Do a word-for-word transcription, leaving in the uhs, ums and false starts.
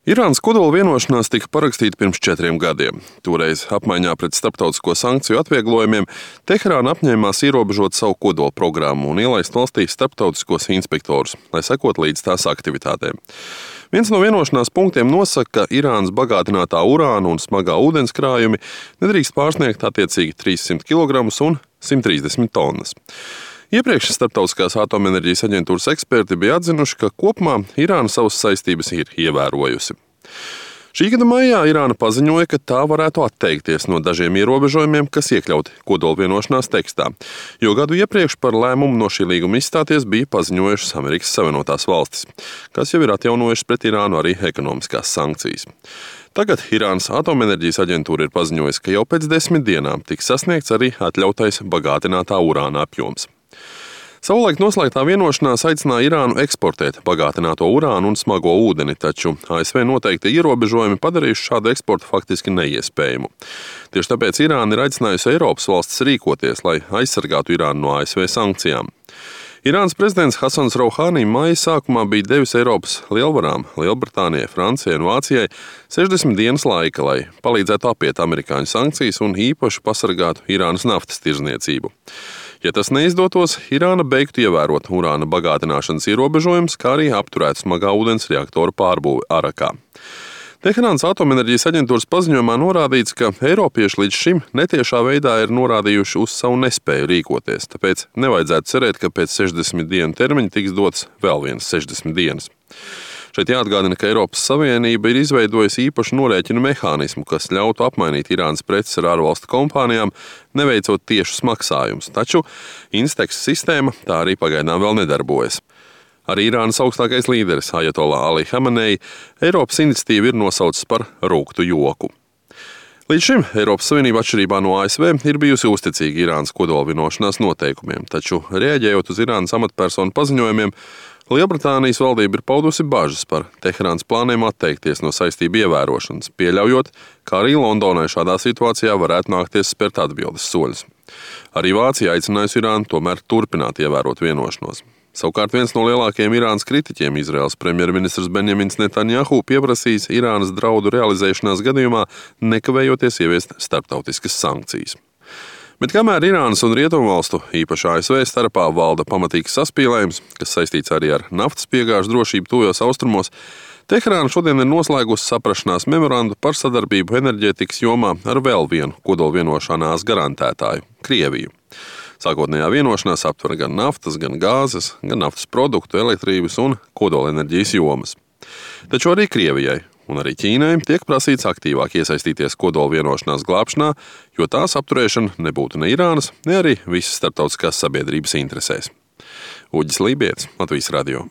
Irānas kodola vienošanās tika parakstīta pirms četriem gadiem. Toreiz apmaiņā pret starptautisko sankciju atvieglojumiem Teherāna apņēmās ierobežot savu kodola programmu un ielaist valstī starptautiskos inspektorus, lai sekot līdz tās aktivitātēm. Viens no vienošanās punktiem nosaka, ka Irānas bagātinātā urāna un smagā ūdens krājumi nedrīkst pārsniegt attiecīgi trīssimt kilogramus un simt trīsdesmit tonnas. Iepriekš Starptautiskās atomenerģijas aģentūras eksperti bija atzinuši, ka kopumā Irāna savas saistības ir ievērojusi. Šī gada maijā Irāna paziņoja, ka tā varētu atteikties no dažiem ierobežojumiem, kas iekļauti kodola vienošanās tekstā, jo gadu iepriekš par lēmumu no šī līguma izstāties bija paziņojušas Amerikas Savienotās valstis, kas jau ir atjaunojušas pret Irānu arī ekonomiskās sankcijas. Tagad Irānas atomenerģijas aģentūra ir paziņojusi, ka jau pēc desmit dienām tiks sasniegts arī atļautais bagātinātā urāna apjoms. Savulaik noslēgtā vienošanās aicināja Irānu eksportēt bagātināto urānu un smago ūdeni, taču A S V noteikti ierobežojumi padarījuši šādu eksportu faktiski neiespējamu. Tieši tāpēc Irāna ir aicinājusi Eiropas valstis rīkoties, lai aizsargātu Irānu no A S V sankcijām. Irānas prezidents Hasans Rouhani maija sākumā bija devis Eiropas lielvarām Lielbritānijai, Francijai un Vācijai sešdesmit dienas laika, lai palīdzētu apiet amerikāņu sankcijas un īpaši pasargātu Irānas naftas tirdzniecību. Ja tas neizdotos, Irāna beigtu ievērot urāna bagātināšanas ierobežojumus, kā arī apturētu smagā ūdens reaktoru pārbūvi Arakā. Teherānas atomenerģijas aģentūras paziņojumā norādīts, ka eiropieši līdz šim netiešā veidā ir norādījuši uz savu nespēju rīkoties, tāpēc nevajadzētu cerēt, ka pēc sešdesmit dienu termiņa tiks dots vēl viens sešdesmit dienas. Šeit jāatgādina, ka Eiropas Savienība ir izveidojusi īpašu norēķinu mehānismu, kas ļautu apmainīt Irānas preces ar ārvalstu kompānijām, neveicot tiešus maksājumus, taču Instex sistēma tā arī pagaidām vēl nedarbojas. Arī Irānas augstākais līderis Ajatollah Ali Hamenei Eiropas iniciatīvu ir nosaucis par rūgtu joku. Līdz šim Eiropas Savienība atšķirībā no A S V ir bijusi uzticīga Irānas kodola vienošanās noteikumiem, taču reaģējot uz Irānas amatpersonu paziņojumiem, Lielbritānijas valdība ir paudusi bažas par Teherānas plāniem atteikties no saistību ievērošanas, pieļaujot, ka arī Londonai šādā situācijā varētu nākties spērt atbildes soļus. Arī Vācija aicinājusi Irānu tomēr turpināt ievērot vienošanos. Savukārt viens no lielākajiem Irānas kritiķiem, Izraēlas premjerministrs Benjamins Netanjahu, pieprasījis Irānas draudu realizēšanās gadījumā nekavējoties ieviest starptautiskas sankcijas. Bet kamēr Irānas un Rietumvalstu, īpaši A S V starpā, valda pamatīgs saspīlējums, kas saistīts arī ar naftas piegāžu drošību tuvajos austrumos, Teherāna šodien ir noslēgusi saprašanās memorandu par sadarbību enerģētikas jomā ar vēl vienu kodola vienošanās garantētāju – Krieviju. Sākotnējā vienošanās aptver gan naftas, gan gāzes, gan naftas produktu, elektrības un kodolenerģijas jomas. Taču arī Krievijai un arī Ķīnai tiek prasīts aktīvāk iesaistīties kodola vienošanās glābšanā, jo tās apturēšana nebūtu ne Irānas, ne arī visas starptautiskās sabiedrības interesēs. Uģis Lībietis, Latvijas radio.